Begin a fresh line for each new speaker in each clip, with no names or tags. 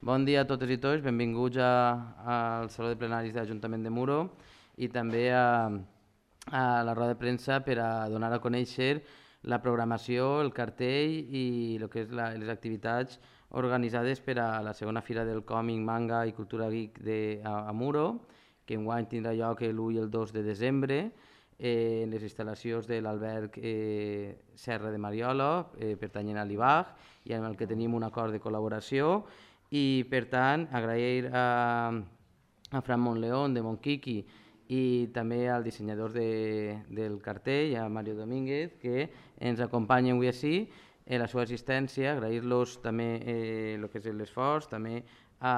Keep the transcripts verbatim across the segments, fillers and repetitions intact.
Bon dia a totes i tots, benvinguts a, al Saló de Plenaris de l'Ajuntament de Muro i també a, a la roda de premsa per a donar a conèixer la programació, el cartell i el que és la, les activitats organitzades per a la segona fira del còmic, manga i cultura geek de, a, a Muro, que enguany tindrà lloc l'u i el dos de desembre eh, en les instal·lacions de l'alberg eh, Serra de Mariola, eh, pertanyent a l'I B A G, i amb el que tenim un acord de col·laboració. I per tant agrair a, a Fran Monleón de Monquiqui i també al dissenyador de, del cartell, a Mario Domínguez, que ens acompanyen avui així en la seva assistència, agrair-los també eh, el que és l'esforç, també a,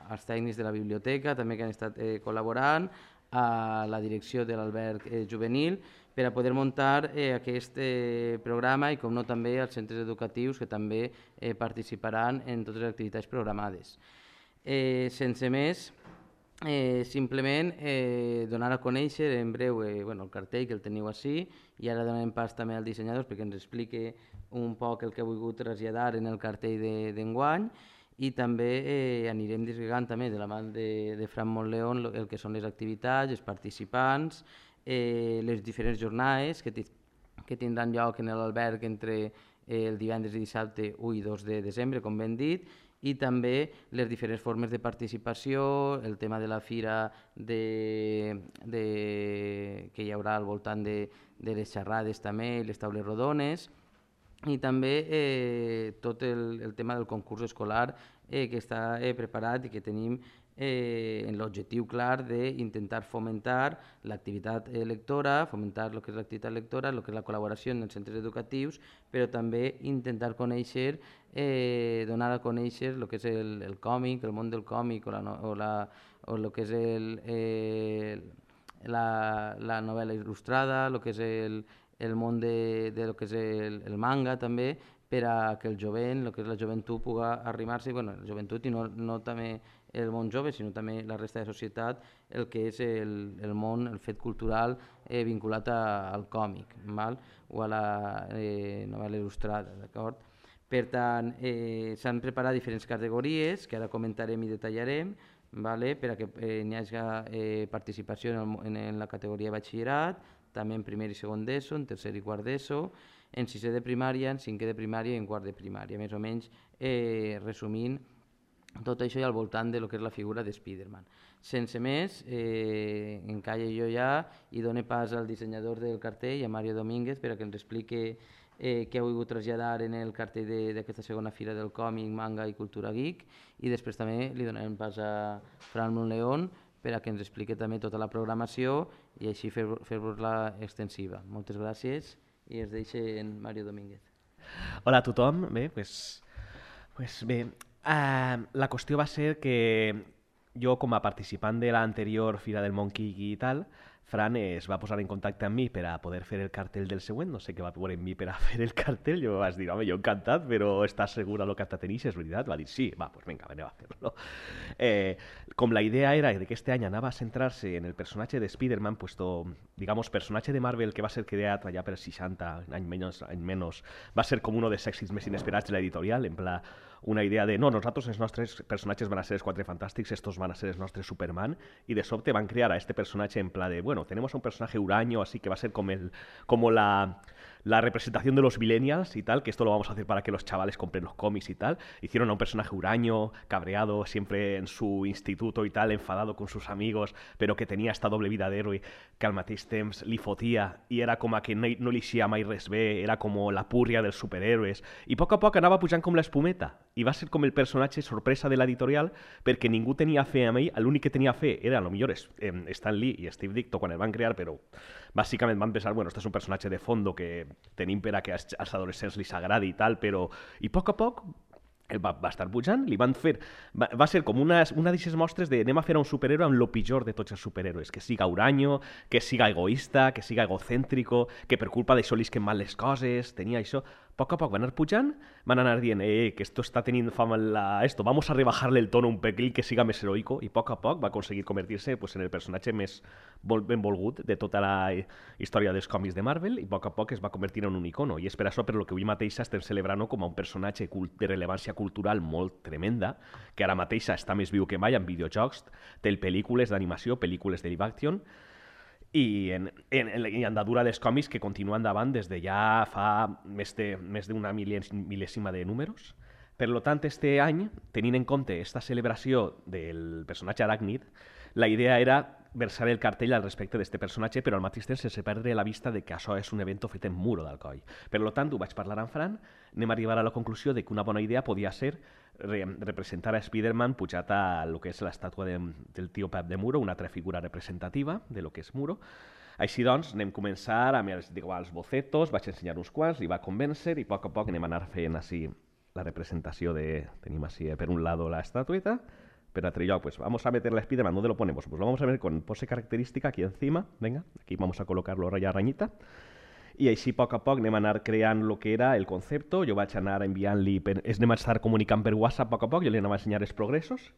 als tècnics de la biblioteca també que han estat eh, col·laborant, a la direcció de l'alberg eh, juvenil, per a poder muntar eh, aquest eh, programa i, com no, també als centres educatius que també eh, participaran en totes les activitats programades. Eh, sense més, eh, simplement eh, donar a conèixer en breu eh, bueno, el cartell, que el teniu així, i ara donem pas també al dissenyador perquè ens expliqui un poc el que ha volgut traslladar en el cartell d'enguany, de, i també eh, anirem desgregant també de la mà de, de Fran Montleón el que són les activitats, els participants, eh, les diferents jornades que, que tindran lloc en l'alberg entre eh, el divendres i dissabte u i dos de desembre, com ben dit, i també les diferents formes de participació, el tema de la fira de, de, que hi haurà al voltant de, de les xerrades també, les taules rodones, i també eh, tot el, el tema del concurs escolar eh, que està eh, preparat i que tenim eh, en l'objectiu clar d'intentar fomentar l'activitat lectora, fomentar el que és l'activitat lectora, el que és la col·laboració en els centres educatius, però també intentar conèixer, eh, donar a conèixer el que és el, el còmic, el món del còmic o, la, o, la, o el que és el, eh, la, la novel·la il·lustrada, el que és el el món de, de lo que és el, el manga també, per a que el jovent, el que és la joventut, pugui arrimar-se, bueno, la joventut i no, no també el món jove, sinó també la resta de societat, el que és el, el món, el fet cultural eh, vinculat a, al còmic, val? O a la eh, novel·la il·lustrada, d'acord? Per tant, eh, s'han preparat diferents categories que ara comentarem i detallarem, vale? Per a que eh, n'hi hagi eh, participació en, el, en, en la categoria de batxillerat, també en primer i segon d'ESO, en tercer i quart d'ESO, en sisè de primària, en cinquè de primària i en quart de primària, més o menys eh, resumint tot això i al voltant de lo que és la figura de Spiderman. Sense més, eh, encalle jo ja i done pas al dissenyador del cartell, a Mario Domínguez, per a que ens explique eh, què ha volgut traslladar en el cartell d'aquesta segona fira del còmic, manga i cultura geek, i després també li donarem pas a Fran Monleón per a que ens expliqui també tota la programació i així fer-vos-la extensiva. Moltes gràcies i es deixa en Mario Domínguez.
Hola a tothom. Bé, pues, pues bé, uh, la qüestió va ser que jo, com a participant de l'anterior Fira del Monkey i tal, Fran es va posar en contacte amb mi per a poder fer el cartell del següent, no sé què va veure en mi per a fer el cartell, jo vaig dir, home, jo encantat, però estàs segura del que t'atenix, és veritat? Va dir, sí, va, doncs vinga, anem a fer-lo. Eh, com la idea era que aquest any anava a centrar-se en el personatge de Spider-Man, puesto, digamos, personatge de Marvel que va ser creat allà per seixanta, any menys, any menys, va ser com un dels èxits més inesperats de l'editorial, en pla, una idea de, no, nosaltres els nostres personatges van a ser els Quatre Fantàstics, estos van a ser els nostres Superman, y de sobte van crear a este personaje en plan de, bueno, tenemos a un personaje huraño, así que va a ser como, el, como la, la representación de los millennials y tal, que esto lo vamos a hacer para que los chavales compren los cómics y tal. Hicieron a un personaje huraño, cabreado, siempre en su instituto y tal, enfadado con sus amigos, pero que tenía esta doble vida d'héroe que al mateix temps li fotia i era com a que no, no li eixia mai res bé, era com la púrria dels superhéroes, i a poc a poc anava pujant com l'espumeta, i va ser com el personatge sorpresa de l'editorial perquè ningú tenia fe en ell, l'únic que tenia fe era a lo millor Stan Lee i Steve Ditko quan el van crear, però bàsicament van pensar, bueno, este és un personatge de fondo que tenim per a que als, als adolescents li s'agradi i tal, però i a poc a poc va, va estar pujant, li van fer va, va ser com una, una d'aquestes mostres de anem a fer a un superhéroe amb lo pitjor de tots els superhéroes, que siga huraño, que siga egoista, que siga egocèntrico, que per culpa d'això li isquen mal les coses, tenia això. A poc a poc van anar pujant, van anar dient, eh, que esto está teniendo fama la... esto, vamos a rebajarle el tono un pelín que siga més heroico, i a poc a poc va aconseguir convertir-se pues, en el personatge més ben volgut de tota la història dels còmics de Marvel, i a poc a poc es va convertir en un icono, i és per això per lo que avui mateix estem celebrant com a un personatge cult, de rellevància cultural molt tremenda, que ara mateix està més viu que mai en videojocs, té pel·lícules d'animació, pel·lícules de live action, i en, en, en andadura dels còmics que continua endavant des de ja fa més de més d'una mil·lèsima de números. Per tant, este any, tenint en compte aquesta celebració del personatge Aràcnid, la idea era versar el cartell al respecte d'aquest personatge, però al mateix temps sense perdre la vista de que això és un event fet en Muro d'Alcoi. Per tant, ho vaig parlar amb Fran, anem a arribar a la conclusió de que una bona idea podia ser re representar a Spider-Man pujat a lo que és l'estàtua de, del tio Pep de Muro, una altra figura representativa de lo que és Muro. Així doncs, anem a començar amb els, digo, els bocetos, vaig ensenyar uns quants, li va convèncer i a poc a poc anem a anar fent així la representació de... Tenim així per un lado la estatueta. Per otro lado, pues vamos a meter la Spider-Man. ¿Dónde lo ponemos? Pues lo vamos a ver con pose característica aquí encima. Venga, aquí vamos a colocarlo raya rañita. I així, a poc a poc, anem a anar creant el que era el concepte. Jo vaig anar enviant-li... Per... Anem a estar comunicant per WhatsApp a poc a poc. Jo li anava a ensenyar els progressos.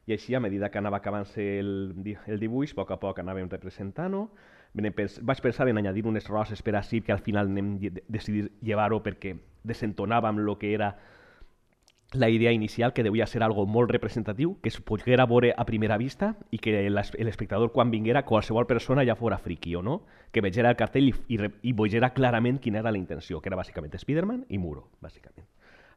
I així, a medida que anava acabant-se el, el dibuix, a poc a poc anàvem representant-ho. Vaig pensar en añadir unes roses per així, que al final anem decidir llevar-ho perquè desentonàvem el que era la idea inicial, que devia ser algo molt representatiu, que es poguera veure a primera vista i que l'espectador, quan vinguera, qualsevol persona ja fora friki o no, que vegera el cartell i, i, i vegera clarament quina era la intenció, que era bàsicament Spider-Man i Muro, bàsicament.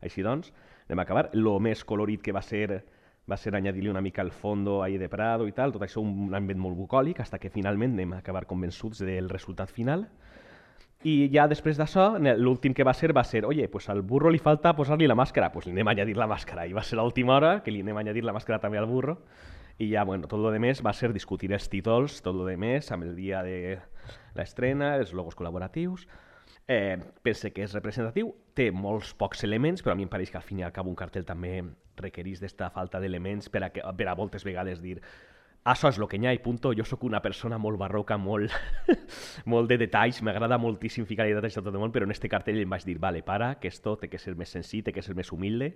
Així doncs, anem a acabar. Lo més colorit que va ser va ser añadir-li una mica el fondo ahí de Prado i tal, tot això un ambient molt bucòlic, fins que finalment anem a acabar convençuts del resultat final. I ja després d'això, l'últim que va ser va ser, oye, pues al burro li falta posar-li la màscara, pues li anem a añadir la màscara. I va ser l'última hora que li anem a añadir la màscara també al burro. I ja, bueno, tot lo demés va ser discutir els títols, tot lo demés, amb el dia de l'estrena, els logos col·laboratius. Eh, pense que és representatiu, té molts pocs elements, però a mi em pareix que al fin i al cap un cartell també requereix d'esta falta d'elements per a, que, per a moltes vegades dir això és el que hi ha i punto. Jo sóc una persona molt barroca, molt, molt de detalls, m'agrada moltíssim ficar detalls a tot el món, però en este cartell em vaig dir, vale, para, que esto té que ser més senzill, té que ser més humilde,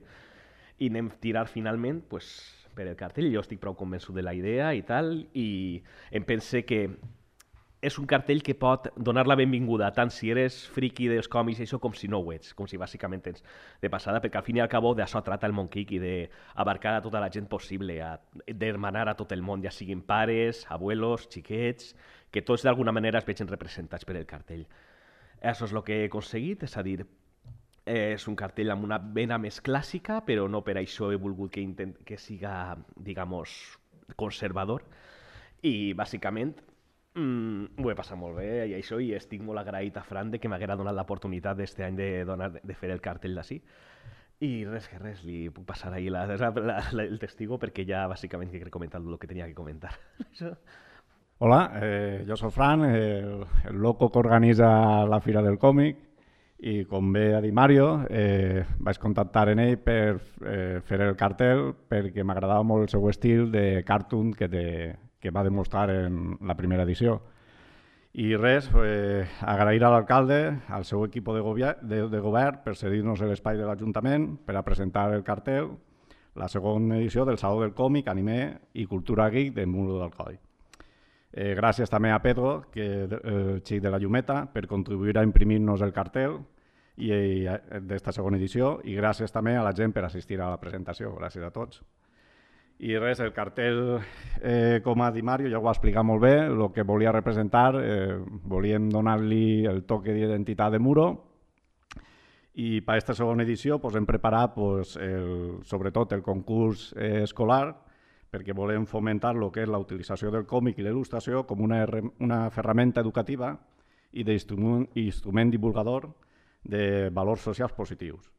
i anem a tirar finalment pues, per el cartell. Jo estic prou convençut de la idea i tal, i em pense que és un cartell que pot donar la benvinguda tant si eres friki dels còmics i això com si no ho ets, com si bàsicament tens de passada, perquè al fin i al cabo d'això trata el Monkick i d'abarcar a tota la gent possible, d'hermanar a tot el món, ja siguin pares, abuelos, xiquets, que tots d'alguna manera es vegin representats per el cartell. Això és el que he aconseguit, és a dir, és un cartell amb una vena més clàssica, però no per això he volgut que, intent... que siga, digamos, conservador, i bàsicament Mm, ho he passat molt bé i això, i estic molt agraït a Fran de que m'haguera donat l'oportunitat d'este any de, donar, de fer el cartell d'ací. I res que res, li puc passar ahí la, la, la, el testigo perquè ja bàsicament he comentat el que tenia que comentar.
Hola, eh, jo soc Fran, el, el loco que organitza la Fira del Còmic, i com bé ha dit Mario, eh, vaig contactar en ell per eh, fer el cartell perquè m'agradava molt el seu estil de cartoon que té, que va demostrar en la primera edició. I res, eh, agrair a l'alcalde, al seu equip de, de, de govern per cedir-nos l'espai de l'Ajuntament per a presentar el cartell, la segona edició del Saló del Còmic, Anime i Cultura Geek de Muro d'Alcoi. Eh, gràcies també a Pedro, que el xic de la Llumeta, per contribuir a imprimir-nos el cartell d'esta segona edició, i gràcies també a la gent per assistir a la presentació. Gràcies a tots. I res, el cartell, eh, com ha dit Mario, ja ho va explicar molt bé, el que volia representar, eh, volíem donar-li el toque d'identitat de Muro, i per aquesta segona edició pues, hem preparat pues, el, sobretot el concurs eh, escolar, perquè volem fomentar el que és la utilització del còmic i l'il·lustració com una, una ferramenta educativa i d'instrument instrument divulgador de valors socials positius.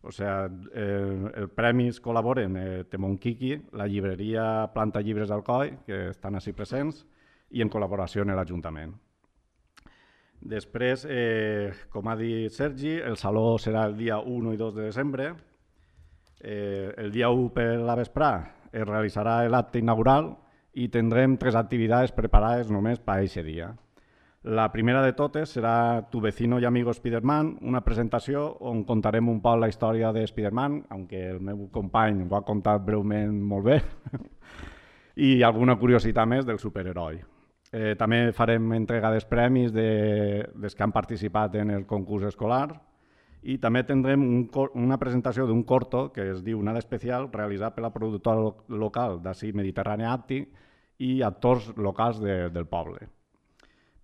O sea, eh, els premis col·laboren eh, Temon Kiki, la llibreria Planta Llibres d'Alcoi, que estan així presents, i en col·laboració amb l'Ajuntament. Després, eh, com ha dit Sergi, el saló serà el dia u i dos de desembre. Eh, el dia u per la vesprà es realitzarà l'acte inaugural i tindrem tres activitats preparades només per a aquest dia. La primera de totes serà Tu vecino y amigo Spider-Man, una presentació on contarem un poc la història de Spider-Man, aunque el meu company ho ha contat breument molt bé, i alguna curiositat més del superheroi. Eh, també farem entrega dels premis de, dels que han participat en el concurs escolar I també tindrem un, una presentació d'un corto que es diu Nada Especial, realitzat per la productora local d'ací Mediterrània Àptic i actors locals de, del poble,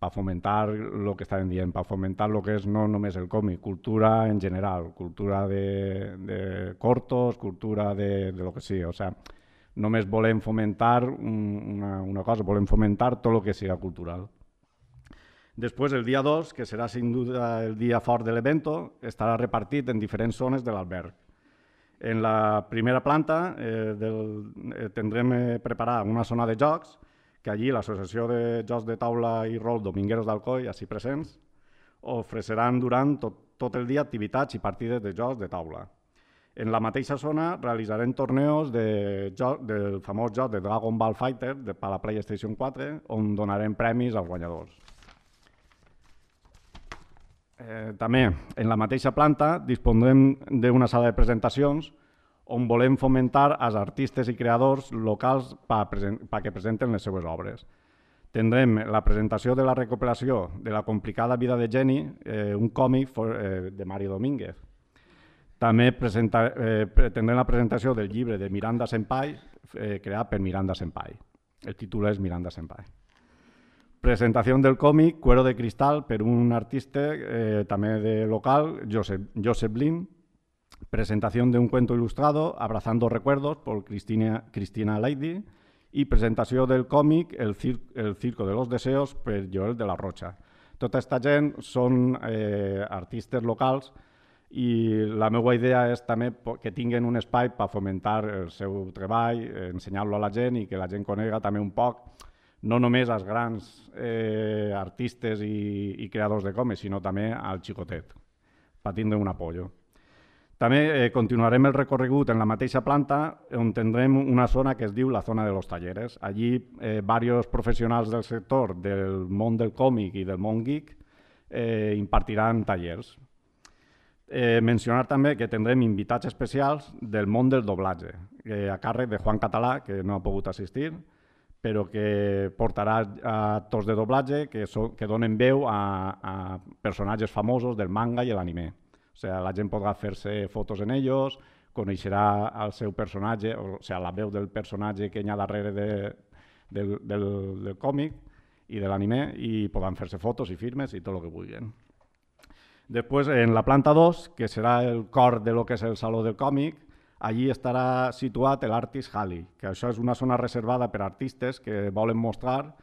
per fomentar el que estàvem dient, per fomentar el que és no només el còmic, cultura en general, cultura de, de cortos, cultura de, de lo que sigui. O sea, només volem fomentar una, una cosa, volem fomentar tot el que sigui cultural. Després, el dia dos, que serà sin duda el dia fort de l'evento, estarà repartit en diferents zones de l'alberg. En la primera planta eh, del, eh, tindrem eh, preparada una zona de jocs, que allí l'Associació de Jocs de Taula i Rol Domingueros d'Alcoi, així presents, ofreceran durant tot, tot el dia activitats i partides de jocs de taula. En la mateixa zona realitzarem torneos de joc, del famós joc de Dragon Ball Fighter de, per la PlayStation quatre, on donarem premis als guanyadors. Eh, també, en la mateixa planta, dispondrem d'una sala de presentacions on volem fomentar els artistes i creadors locals perquè presenten les seues obres. Tindrem la presentació de la recuperació de La complicada vida de Jenny, eh, un còmic for, eh, de Mario Domínguez. També presenta, eh, tindrem la presentació del llibre de Miranda Senpai, eh, creat per Miranda Senpai. El títol és Miranda Senpai. Presentació del còmic Cuero de Cristal per un artista eh, també de local, Joseph, Joseph Lin. Presentació d'un cuento ilustrado, Abrazando Recuerdos, por Cristina, Cristina Lady. I presentació del còmic El, Cir El Circo de los Deseos per Joel de la Rocha. Tota aquesta gent són eh, artistes locals i la meva idea és també que tinguin un espai per fomentar el seu treball, ensenyar-lo a la gent i que la gent conega també un poc no només als grans eh, artistes i, i creadors de còmics, sinó també al xicotet, per tindre un apoyo. També eh, continuarem el recorregut en la mateixa planta, on tindrem una zona que es diu la zona de los talleres. Allí, eh, diversos professionals del sector del món del còmic i del món geek eh, impartiran tallers. Eh, mencionar també que tindrem invitats especials del món del doblatge, eh, a càrrec de Juan Català, que no ha pogut assistir, però que portarà actors de doblatge que, so, que donen veu a, a personatges famosos del manga i l'anime. O sigui, la gent podrà fer-se fotos en ells, coneixerà el seu personatge, o sigui, la veu del personatge que hi ha darrere de, del, del, del còmic i de l'anime, i podran fer-se fotos i firmes i tot el que vulguin. Després, en la planta dos, que serà el cor de lo que és el Saló del Còmic, allí estarà situat l'Artist Alley, que això és una zona reservada per a artistes que volen mostrar,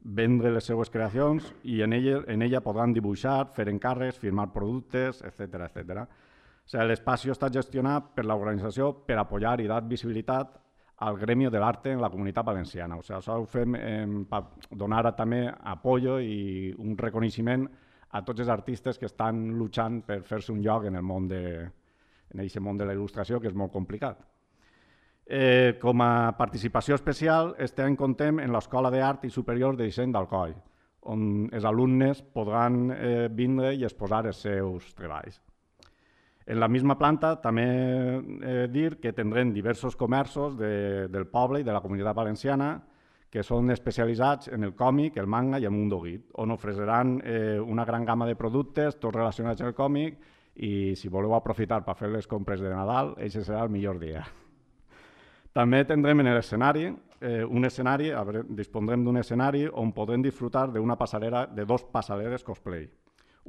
vendre les seues creacions i en ella, en ella podran dibuixar, fer encàrrecs, firmar productes, etcètera etcètera. O sigui, l'espai està gestionat per l'organització per apoyar i dar visibilitat al gremi de l'arte en la comunitat valenciana. O sigui, això ho fem eh, per donar també apoyo i un reconeixement a tots els artistes que estan lluitant per fer-se un lloc en el món de en aquest món de la il·lustració, que és molt complicat. Eh, com a participació especial, estem contem en l'Escola d'Art i Superior de Disseny d'Alcoi, on els alumnes podran eh, vindre i exposar els seus treballs. En la misma planta també eh, dir que tindrem diversos comerços de, del poble i de la comunitat valenciana que són especialitzats en el còmic, el manga i el mundo geek, on ofreceran eh, una gran gamma de productes, tots relacionats amb el còmic, i si voleu aprofitar per fer les compres de Nadal, aquest serà el millor dia. També tindrem en l'escenari, eh, un escenari, dispondrem d'un escenari on podrem disfrutar d'una passarel·la, de dos passarel·les cosplay.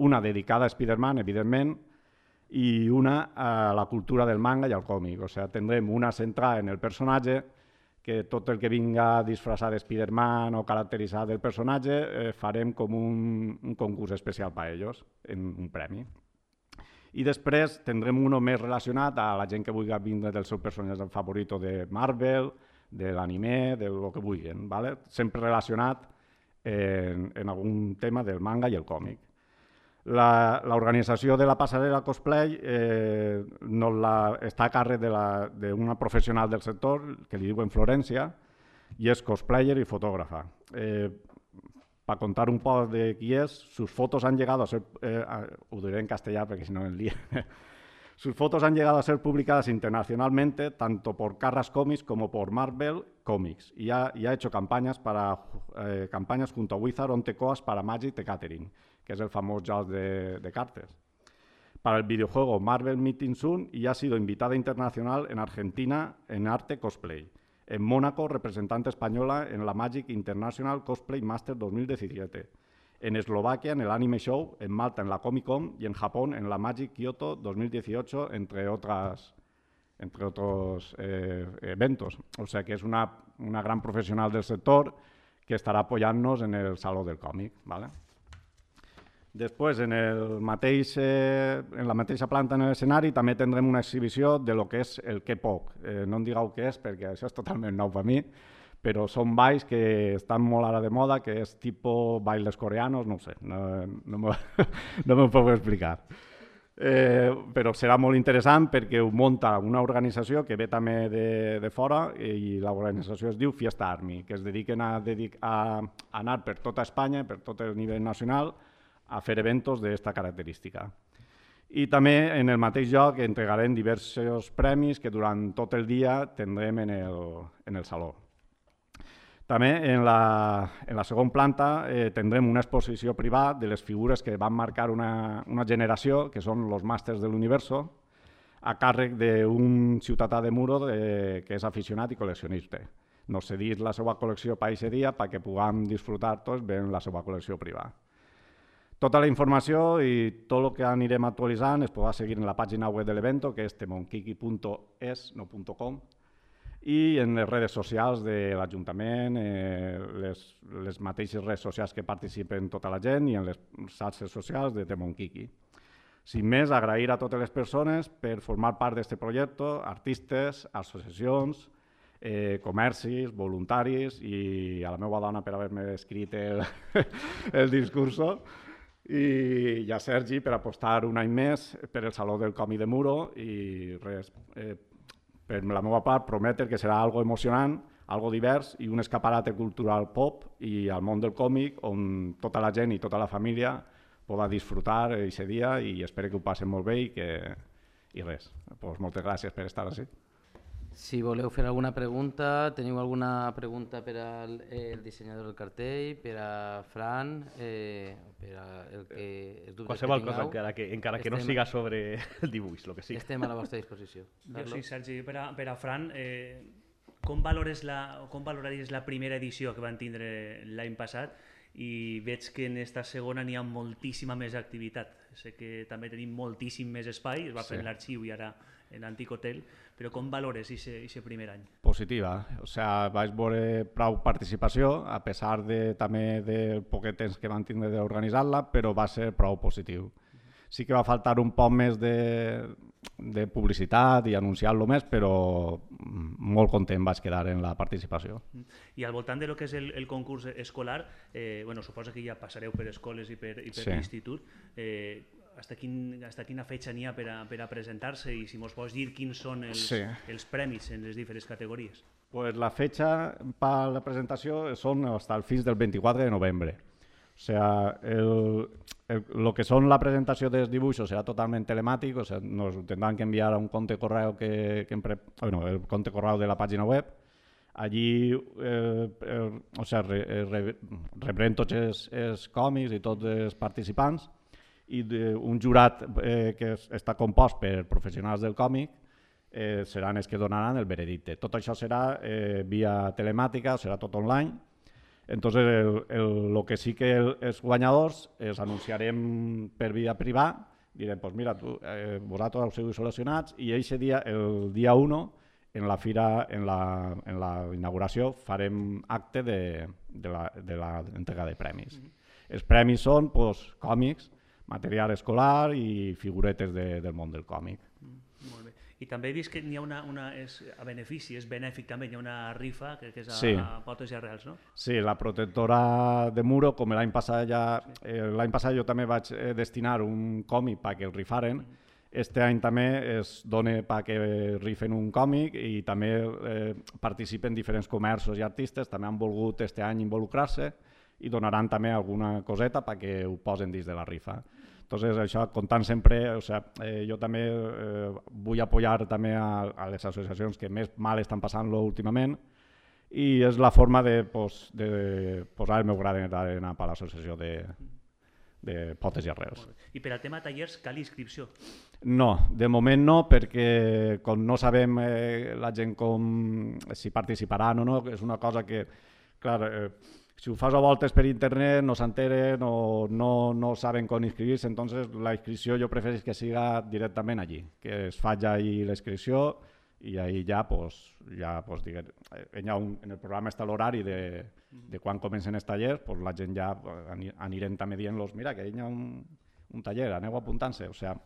Una dedicada a Spider-Man, evidentment, i una a la cultura del manga i al còmic. O sigui, tindrem una centrada en el personatge, que tot el que vinga disfressat de Spider-Man o caracteritzat del personatge, eh, farem com un, un concurs especial per a ells, en un premi. I després tindrem un més relacionat a la gent que vulgui vindre del seu personatge favorit de Marvel, de l'anime, del que vulguin, ¿vale? Sempre relacionat en, en algun tema del manga i el còmic. L'organització de la passarel·la cosplay eh, no la, està a càrrec d'una professional del sector, que li diuen Florència, i és cosplayer i fotògrafa. Eh, Para contar un poco de quién es, sus fotos han llegado a ser, eh, a, lo diré en castellano porque si no el lío. Sus fotos han llegado a ser publicadas internacionalmente, tanto por Carras Comics como por Marvel Comics, y ha, y ha hecho campañas, para, eh, campañas junto a Wizard on the Coast para Magic the Gathering, que es el famoso joc de, de cartes. para el videojuego Marvel Meeting Soon y ha sido invitada internacional en Argentina en Arte Cosplay. En Mónaco, representante española en la Magic International Cosplay Master dos mil diecisiete. En Eslovaquia, en el Anime Show, en Malta, en la Comic Con y en Japón, en la Magic Kyoto dos mil dieciocho, entre otras, entre otros eh, eventos. O sea que es una, una gran profesional del sector que estarà apoyant-nos en el Saló del Còmic. ¿Vale? Després, en, el mateix, eh, en la mateixa planta en l'escenari també tindrem una exhibició de lo que és el K-pop. Eh, no em digueu què és perquè això és totalment nou per mi, però són balls que estan molt ara de moda, que és tipus bailes coreanos, no ho sé, no, no m'ho no me puc explicar. Eh, però serà molt interessant perquè ho munta una organització que ve també de, de fora i l'organització es diu Fiesta Army, que es dediquen a, dedic a, a anar per tota Espanya, per tot el nivell nacional, a fer eventos d'aquesta característica. I també en el mateix lloc entregarem diversos premis que durant tot el dia tindrem en el, en el saló. També en la, en la segona planta eh, tindrem una exposició privada de les figures que van marcar una, una generació, que són els màsters de l'universo, a càrrec d'un ciutadà de Muro de, que és aficionat i col·leccionista. Nos cedís la seva col·lecció per aquest dia perquè puguem disfrutar tots veient la seva col·lecció privada. Tota la informació i tot el que anirem actualitzant es podrà seguir en la pàgina web de l'evento, que és temonkiki punt es, no .com, i en les redes socials de l'Ajuntament, eh, les, les mateixes redes socials que participen tota la gent i en les xarxes socials de Temonkiki. Sin més, agrair a totes les persones per formar part d'aquest projecte, artistes, associacions, eh, comercis, voluntaris i a la meva dona per haver-me escrit el, el discurso. I a Sergi per apostar un any més per el Saló del Còmic de Muro i res, eh, per la meva part prometre que serà algo emocionant, algo divers i un escaparate cultural pop i al món del còmic on tota la gent i tota la família podrà disfrutar aquest dia i espero que ho passen molt bé i que i res. Pues moltes gràcies per estar així.
Si voleu fer alguna pregunta, teniu alguna pregunta per al el dissenyador del cartell, per a Fran, eh, per a el que els dubtes
Qualsevol
que tingueu.
cosa, encara que, encara que no
Estem-
siga sobre el dibuix, el que sigui.
Estem a la vostra disposició.
Jo
Carlos?
sí, Sergi, per a, per a Fran, eh, com, valores la, com valoraries la primera edició que van tindre l'any passat? I veig que en esta segona n'hi ha moltíssima més activitat. Sé que també tenim moltíssim més espai, es va fer
Sí.
en l'arxiu i ara en l'antic hotel, però com valores aquest primer any?
Positiva, o sea, vaig veure prou participació, a pesar de, també del poquet temps que van tindre d'organitzar-la, però va ser prou positiu. Sí que va faltar un poc més de, de publicitat i anunciar-lo més, però molt content vaig quedar en la participació.
I al voltant de lo que és el, el concurs escolar, eh, bueno, suposo que ja passareu per escoles i per, i per
Sí.
l'institut, eh, hasta, quin, hasta quina fetge n'hi ha per a, per a presentar-se i si mos pots dir quins són els,
Sí.
els premis en les diferents categories.
Pues la fecha para la presentació són hasta el fins del vint-i-quatre de novembre. O sea, el, el, lo que son la presentació dels dibuixos serà totalment telemàtic, o sea, nos tendrán que enviar a un compte correu que, que empre, bueno, el compte correu de la pàgina web. Allí eh, eh, o sea, re, re, rebrem tots els, els còmics i tots els participants i de, un jurat eh, que es, està compost per professionals del còmic eh, seran els que donaran el veredicte. Tot això serà eh, via telemàtica, serà tot online. Entonces, el, el, lo que sí que el, els guanyadors els anunciarem per via privada, direm, pues mira, tu, eh, vosaltres heu sigut seleccionats i aquest dia, el dia u, en la fira, en la, en la inauguració, farem acte de, de, la, de la entrega de premis. Mm-hmm. Els premis són pues, còmics, material escolar i figuretes de, del món del còmic.
Mm, molt bé. I també he vist que n'hi ha una, una és a benefici, és benèfic també, hi ha una rifa que, que és a,
Sí.
a potes i arrels, no?
Sí, la protectora de Muro, com l'any passat ja... Eh, l'any passat jo també vaig eh, destinar un còmic perquè el rifaren. Este any també es dona perquè rifen un còmic i també eh, participen diferents comerços i artistes, també han volgut este any involucrar-se i donaran també alguna coseta perquè ho posen dins de la rifa. Entonces, això, comptant sempre, o sea, eh, jo també eh, vull apoyar també a, a les associacions que més mal estan passant-lo últimament i és la forma de, pues, de posar el meu granet d'arena per l'associació de, de potes i arrels.
I per al tema tallers cal inscripció?
No, de moment no, perquè com no sabem eh, la gent com, si participaran o no, és una cosa que, clar, eh, si ho fas a voltes per internet no s'enteren o no, no saben com inscribir-se, entonces la inscripció jo prefereixo que siga directament allí, que es faci allí la inscripció i ahí ja, pues, ja pues, diguem, un, en el programa està l'horari de, de quan comencen els tallers, pues, la gent ja anirem també dient-los, mira, que hi ha un, un taller, aneu apuntant-se. O sigui,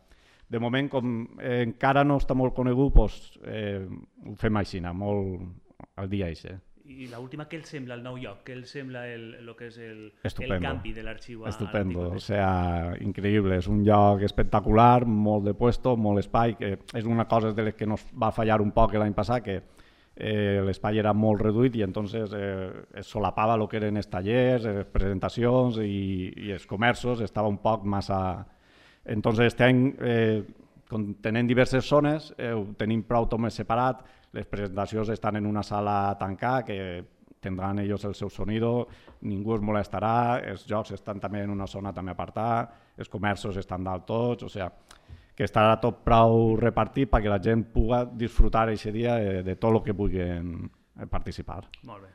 de moment, com eh, encara no està molt conegut, pues, eh, ho fem així, molt al dia així.
I l'última, què els sembla el nou lloc? Què els sembla el, el que és el,
Estupendo.
el canvi de l'arxiu a
Estupendo,
l'article?
o sea, increïble, és un lloc espectacular, molt de puesto, molt espai, que és una cosa de les que nos va fallar un poc l'any passat, que eh, l'espai era molt reduït i entonces eh, es solapava el que eren els tallers, les presentacions i, i els comerços, estava un poc massa... Entonces, este any, eh, tenint diverses zones, eh, ho tenim prou tot més separat, les presentacions estan en una sala tancada que tindran ells el seu sonido, ningú es molestarà, els jocs estan també en una zona també apartada, els comerços estan dalt tots, o sigui, que estarà tot prou repartit perquè la gent pugui disfrutar aquest dia de, de tot el que puguin participar.
Molt bé.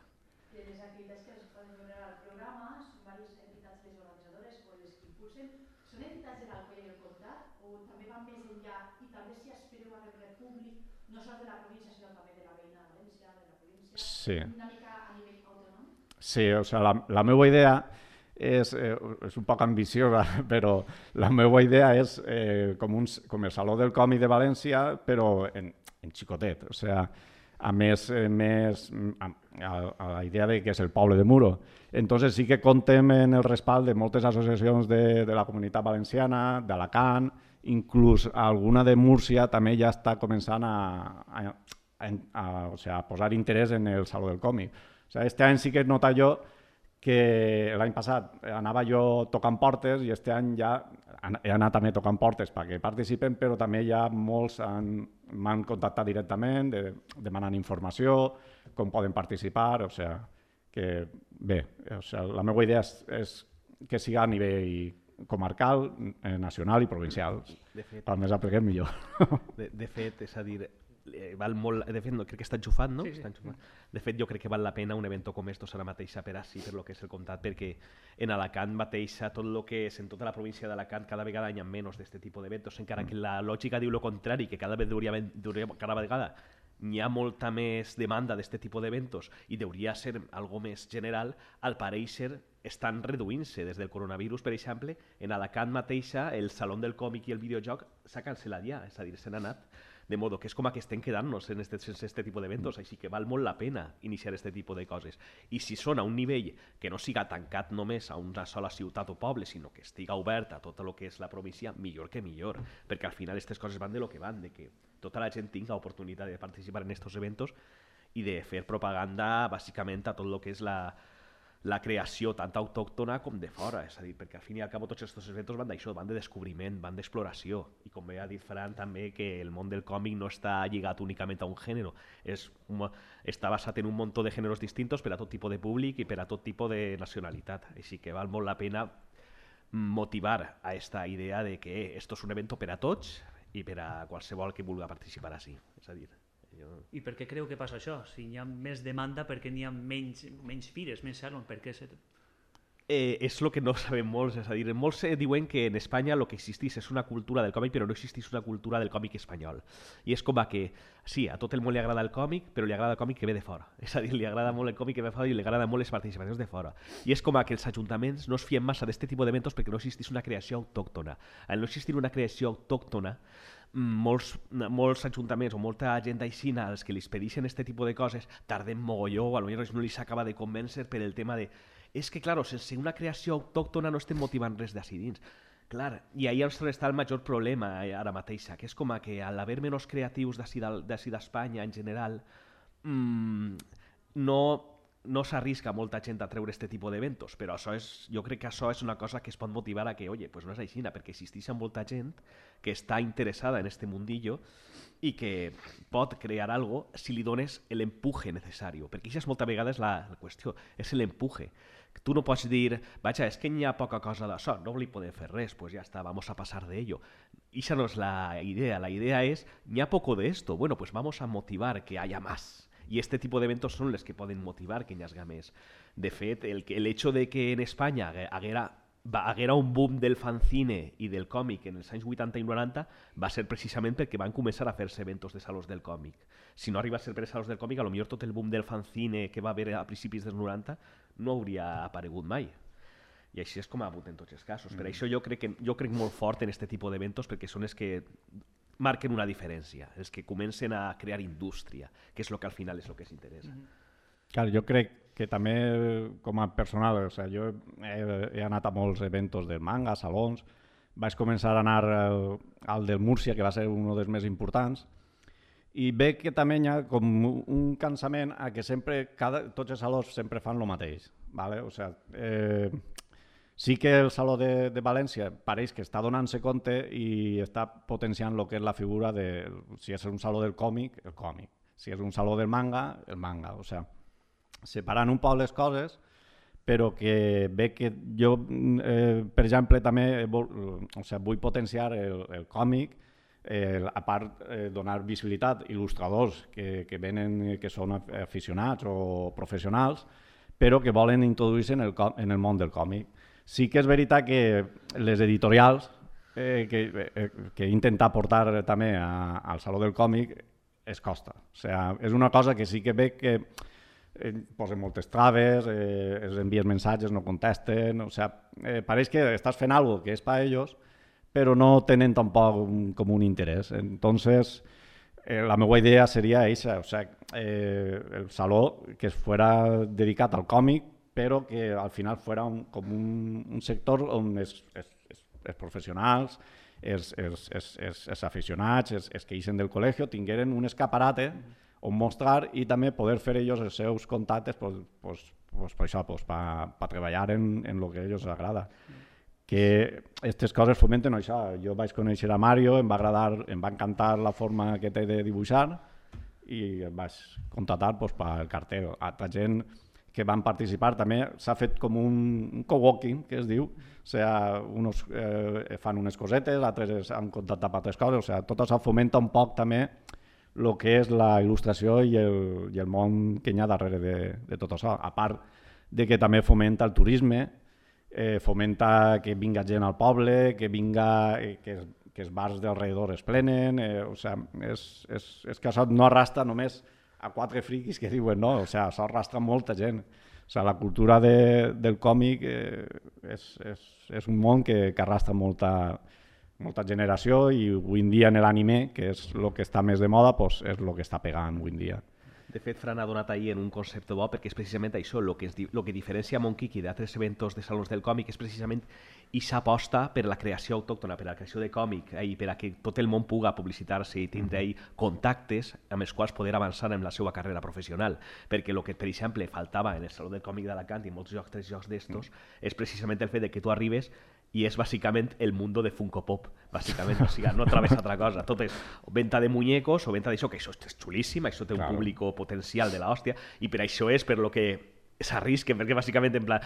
De les activitats que es poden veure al programa, són diverses entitats les organitzadores o les que impulsen. Són entitats de l'Alcoy i el Comtat o també van més enllà i també si aspireu a rebre públic, no sols de la província, sinó també de la veïna de València, de la província,
sí.
Una mica a nivell autònom?
Sí, o sigui, la, la meva idea és, eh, és un poc ambiciosa, però la meva idea és eh, com, un, com el Saló del Còmic de València, però en, en xicotet, o sigui, a més, eh, més a, a la idea de que és el poble de Muro. Entonces sí que contem en el respald de moltes associacions de, de la comunitat valenciana, d'Alacant, inclús alguna de Múrcia també ja està començant a, a, a, a, o sigui, a posar interès en el Saló del Còmic. O sigui, este any sí que he notat jo que l'any passat anava jo tocant portes i este any ja he anat també tocant portes perquè participen, però també ja molts m'han contactat directament de, demanant informació, com poden participar, o sigui, que bé, o sigui, la meva idea és, és que siga a nivell comarcal, nacional i provincial.
De fet,
el més apliquem millor.
De, de fet, és a dir, val molt, de fet, no, crec que està enxufat, no?
Sí, sí.
Està enxufat. De fet, jo crec que val la pena un evento com estos ara mateixa per així, per lo que és el comtat, perquè en Alacant mateixa, tot el que és en tota la província d'Alacant, cada vegada hi ha menys d'aquest tipus d'eventos, encara que la lògica diu el contrari, que cada, hauria, hauria, cada vegada hi ha molta més demanda d'aquest tipus d'eventos i hauria ser algo més general, al pareixer estan reduint-se des del coronavirus, per exemple, en Alacant mateixa el Saló del Còmic i el videojoc s'ha cancel·lat ja, és a dir, se n'ha anat. De modo que és com que estem quedant-nos en este, en este tipus d'eventos, així que val molt la pena iniciar este tipus de coses. I si són a un nivell que no siga tancat només a una sola ciutat o poble, sinó que estiga obert a tot el que és la província, millor que millor, perquè al final aquestes coses van de lo que van, de que tota la gent tinga oportunitat de participar en estos eventos i de fer propaganda bàsicament a tot el que és la, la creació tant autòctona com de fora, és a dir, perquè al fin i al cap tots aquests eventos van d'això, van de descobriment, van d'exploració, i com bé ha dit Fran també que el món del còmic no està lligat únicament a un gènere, és, està basat en un munt de gèneres distintos per a tot tipus de públic i per a tot tipus de nacionalitat, així que val molt la pena motivar a aquesta idea de que esto és un evento per a tots i per a qualsevol que vulgui participar així, és a dir, jo...
I per què creu que passa això? Si hi ha més demanda, per què n'hi ha menys, menys fires, menys salons? Per què se...
Eh, és el que no sabem molts, és a dir, molts eh, diuen que en Espanya el que existís és una cultura del còmic, però no existís una cultura del còmic espanyol. I és com que, sí, a tot el món li agrada el còmic, però li agrada el còmic que ve de fora. És a dir, li agrada molt el còmic que ve de fora i li agrada molt les participacions de fora. I és com que els ajuntaments no es fien massa d'aquest tipus d'eventos perquè no existís una creació autòctona. Al no existir una creació autòctona, molts, molts ajuntaments o molta gent aixina als que li expedixen aquest tipus de coses tarden mogolló o potser no li s'acaba de convèncer per el tema de és que, clar, sense una creació autòctona no estem motivant res d'ací dins. Clar, i ahí és on està el major problema ara mateixa, que és com que al haver menys creatius d'ací d'Espanya en general, mmm, no, no s'arrisca molta gent a treure aquest tipus d'eventos, però això és, jo crec que això és una cosa que es pot motivar a que, oye, pues no és així, perquè existeix molta gent que està interessada en este mundillo i que pot crear algo si li dones l'empuje necessari, perquè això és molta vegada és la, la qüestió, és l'empuje. Tu no pots dir, vaja, és que hi ha poca cosa d'això, no li podem fer res, pues ja està, vamos a pasar de ello. Esa no es la idea, la idea es, hi ha poco de esto, bueno, pues vamos a motivar que haya más. Y este tipo de eventos son los que poden motivar que hi hagi més. De fet, el, el hecho de que en Espanya haguera, haguera un boom del fanzine i del còmic en els anys vuitanta i noranta va ser precisament perquè van començar a fer-se eventos de salons del còmic. Si no arriba a ser per salons del còmic, potser tot el boom del fanzine que va haver a principis dels noranta no hauria aparegut mai. I així és com ha hagut en tots els casos. Per això jo crec, que, jo crec molt fort en aquest tipus d'eventos perquè són els que marquen una diferència, els que comencen a crear indústria, que és el que al final és el que ens interessa.
Clar, jo crec que també com a personal, o sigui, jo he, he anat a molts eventos del manga, salons, vaig començar a anar al, al del Múrcia, que va ser un dels més importants, i veig que també hi ha com un cansament a que sempre, cada, tots els salons sempre fan el mateix. ¿Vale? O sigui, eh, sí que el Saló de, de València pareix que està donant-se compte i està potenciant el que és la figura de, si és un saló del còmic, el còmic, si és un saló del manga, el manga. O sigui, separant un poc les coses, però que ve que jo, eh, per exemple, també vol, o sigui, vull potenciar el, el còmic, eh, a part eh, donar visibilitat a il·lustradors que, que venen, que són aficionats o professionals, però que volen introduir-se en, el, en el món del còmic. Sí que és veritat que les editorials eh, que, eh, que intentar portar també a, al Saló del Còmic es costa. O sigui, és una cosa que sí que veig que eh, posen moltes traves, eh, els envies missatges, no contesten, o sigui, eh, pareix que estàs fent alguna cosa que és per a ells, però no tenen tampoc un, com un interès. Entonces, eh, la meva idea seria aquesta, o sigui, eh, el saló que fuera dedicat al còmic, però que al final fuera un, com un, un sector on els, els, els professionals, els, els, els, els, els aficionats, els, els que ixen del col·legi, tingueren un escaparate on mostrar i també poder fer ells els seus contactes pues, pues, pues, per això, pues, per, per treballar en, en el que a ells agrada. Que aquestes coses fomenten això. Jo vaig conèixer a Mario, em va agradar, em va encantar la forma que té de dibuixar i em vaig contratar pues, pel cartel. Altra gent que van participar també s'ha fet com un, un coworking, que es diu, o sigui, uns eh, fan unes cosetes, altres han contactat per altres coses, o sigui, tot això fomenta un poc també el que és la il·lustració i el, i el món que hi ha darrere de, de tot això, a part de que també fomenta el turisme, eh, fomenta que vinga gent al poble, que vinga, eh, que, que els bars d'alrededor es plenen, eh, o sigui, és, és, és que això no arrastra només a quatre friquis que diuen no, o sigui, això arrastra molta gent. O sigui, la cultura de, del còmic eh, és, és, és un món que, que arrastra molta, molta generació i avui en dia en l'anime, que és el que està més de moda, pues, és el que està pegant avui en dia.
De fet, Fran ha donat ahir en un concepte bo perquè és precisament això, el que, el que diferencia Monkiki d'altres eventos de salons del còmic és precisament aquesta aposta per la creació autòctona, per la creació de còmic i per a que tot el món puga publicitar-se i tindre ahí contactes amb els quals poder avançar en la seva carrera professional. Perquè el que, per exemple, faltava en el Saló del Còmic d'Alacant i en molts llocs, tres llocs d'estos, és precisament el fet de que tu arribes i és bàsicament el mundo de Funko Pop, bàsicament, o sigui, no trobes altra cosa. Tot és venda de muñecos o venda d'això, que això és xulíssim, això té un
claro.
públic potencial de l'hòstia, i per això és per lo que s'arrisquen, perquè bàsicament en plan,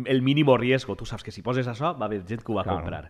el mínim riesgo, tu saps que si poses això va haver gent que ho va
claro.
comprar.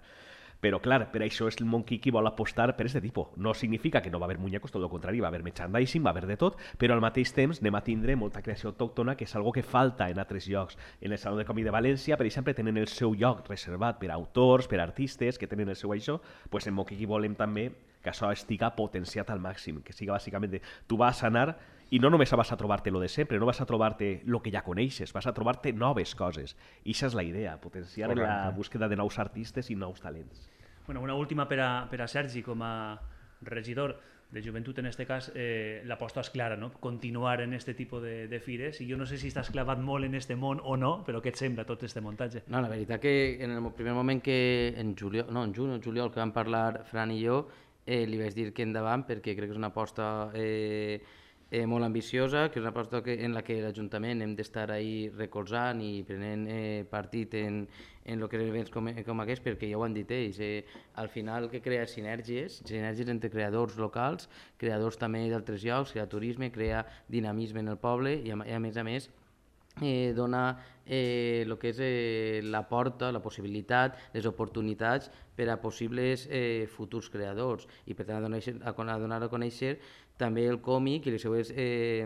Però, clar, per això és el Monkey qui vol apostar per aquest tipus. No significa que no va haver muñecos, tot el contrari, va haver merchandising, va haver de tot, però al mateix temps anem a tindre molta creació autòctona, que és algo que falta en altres llocs. En el Saló del Còmic de València, per exemple, tenen el seu lloc reservat per a autors, per a artistes, que tenen el seu això, doncs en Monkey volem també que això estiga potenciat al màxim, que siga bàsicament de, tu vas a anar i no només vas a trobar-te lo de sempre, no vas a trobar-te el que ja coneixes, vas a trobar-te noves coses. I això és la idea, potenciar Correcte. La búsqueda de nous artistes i nous talents.
Bueno, una última per a, per a Sergi, com a regidor de joventut en aquest cas, eh, l'aposta és clara, no? Continuar en aquest tipus de, de fires, i jo no sé si estàs clavat molt en aquest món o no, però què et sembla tot aquest muntatge?
No, la veritat que en el primer moment que en juliol, no, en juny o juliol que vam parlar Fran i jo, eh, li vaig dir que endavant perquè crec que és una aposta eh, eh, molt ambiciosa, que és una aposta que, en la que l'Ajuntament hem d'estar ahí recolzant i prenent eh, partit en, en el que events com, com aquest, perquè ja ho han dit ells, eh, al final que crea sinergies, sinergies entre creadors locals, creadors també d'altres llocs, crea turisme, crea dinamisme en el poble i a, i a més a més eh, dona eh, el que és eh, la porta, la possibilitat, les oportunitats per a possibles eh, futurs creadors i per tant a donar a, a, donar a conèixer també el còmic i les seues eh,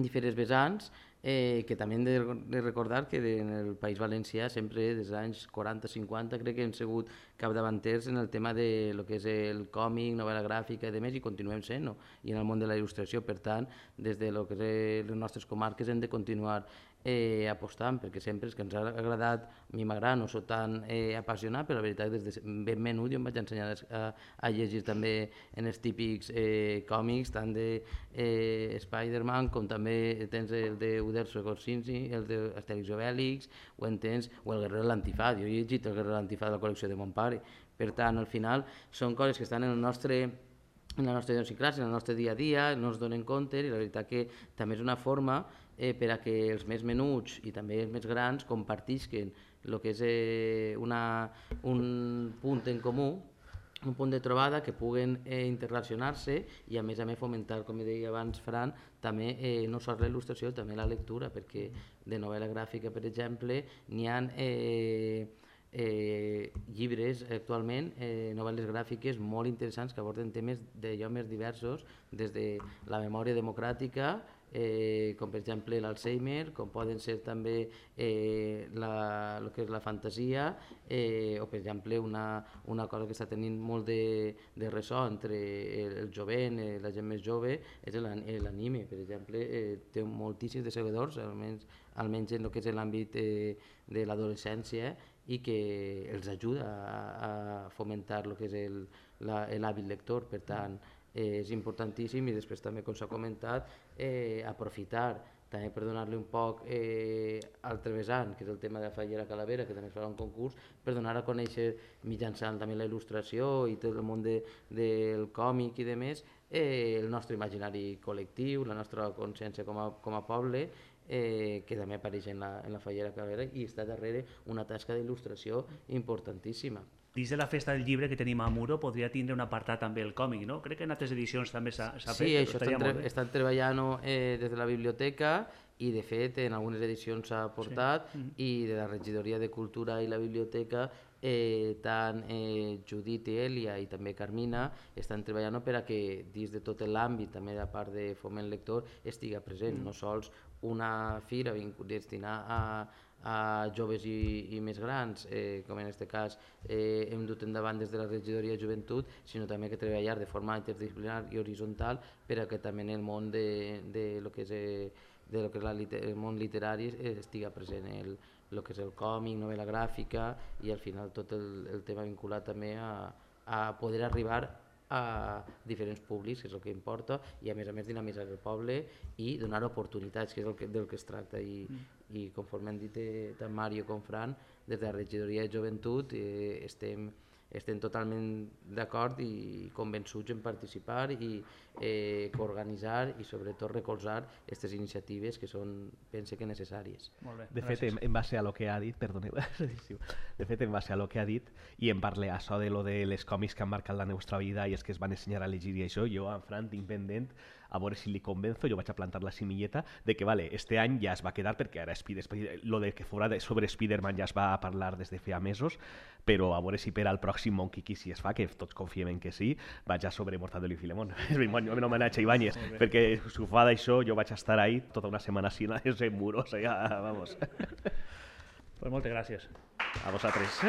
diferents vessants, eh, que també hem de, de recordar que en el País Valencià sempre des dels anys quaranta cinquanta crec que hem sigut capdavanters en el tema de lo que és el còmic, novel·la gràfica i demés, i continuem sent, no? I en el món de la il·lustració, per tant, des de lo que és les nostres comarques hem de continuar eh, apostant, perquè sempre és que ens ha agradat, a mi m'agrada, no soc tan eh, apassionat, però la veritat des de ben menut jo em vaig ensenyar a, a llegir també en els típics eh, còmics, tant de eh, Spider-Man com també tens el de Uderzo Gorsinski, el d'Astèrix i Obèlix, o en tens, o el Guerrero de l'Antifaz, jo he llegit el Guerrero de l'Antifaz de la col·lecció de mon pare, per tant, al final són coses que estan en el nostre en la nostra idiosincràsia, en el nostre dia a dia, no es donen compte i la veritat que també és una forma eh, per a que els més menuts i també els més grans compartisquen el que és eh, una, un punt en comú, un punt de trobada que puguen eh, interrelacionar-se i a més a més fomentar, com deia abans Fran, també eh, no sols la il·lustració, també la lectura, perquè de novel·la gràfica, per exemple, n'hi ha eh, eh, llibres actualment, eh, novel·les gràfiques molt interessants que aborden temes d'allò més diversos, des de la memòria democràtica, eh, com per exemple l'Alzheimer, com poden ser també eh, la, el que és la fantasia, eh, o per exemple una, una cosa que està tenint molt de, de ressò entre el, el jovent, eh, la gent més jove, és l'anime, per exemple, eh, té moltíssims de seguidors, almenys, almenys en el que és l'àmbit eh, de l'adolescència, i que els ajuda a, a fomentar el que és l'hàbit lector, per tant eh, és importantíssim. I després també, com s'ha comentat, eh, aprofitar també per donar-li un poc eh, altre vessant, que és el tema de la Fallera Calavera, que també es farà un concurs, per donar a conèixer mitjançant també la il·lustració i tot el món de, del còmic i demés, eh, el nostre imaginari col·lectiu, la nostra consciència com a, com a poble, Eh, que també apareix en la, en la Fallera Calavera, i està darrere una tasca d'il·lustració importantíssima.
Dins de la festa del llibre que tenim a Muro podria tindre un apartat també el còmic, no? Crec que en altres edicions també s'ha fet.
Sí, això estan, tre estan treballant eh, des de la biblioteca i de fet en algunes edicions s'ha portat, sí. I de la Regidoria de Cultura i la biblioteca eh, tant eh, Judit i Elia i també Carmina estan treballant per a que dins de tot l'àmbit, també de part de Foment Lector, estiga present, mm. no sols una fira destinada a, a joves i, i més grans, eh, com en aquest cas eh, hem dut endavant des de la Regidoria de Joventut, sinó també que treballar de forma interdisciplinar i horitzontal per a que també en el món de, de lo que és, eh, de lo que és la, el món literari eh, estiga present el, el que és el còmic, novel·la gràfica i al final tot el, el tema vinculat també a, a poder arribar a diferents públics, que és el que importa, i a més a més dinamitzar el poble i donar oportunitats, que és el que, del que es tracta. I, mm. i conforme han dit eh, tant Mario com Fran, des de la Regidoria de Joventut eh, estem, estem totalment d'acord i convençuts en participar i eh, coorganitzar i sobretot recolzar aquestes iniciatives que són, pense que necessàries.
Molt bé, de fet, en, en base a lo que ha dit, perdoneu, de fet, en base a lo que ha dit, i en parle això de lo de les còmics que han marcat la nostra vida i és que es van ensenyar a llegir i això, jo en Fran tinc pendent a veure si li convenzo, jo vaig a plantar la semilleta de que, vale, este any ja es va quedar perquè ara Spider, lo de que fora de, sobre Spider-Man ja es va parlar des de feia mesos, però a veure si per al pròxim Monkey Kiss si es fa, que tots confiem en que sí, vaig a sobre Mortadelo i Filemón. En homenatge a Ibáñez, perquè si ho fa d'això jo vaig estar ahí tota una setmana així en muros, ja, vamos.
Pues moltes gràcies.
A vosaltres.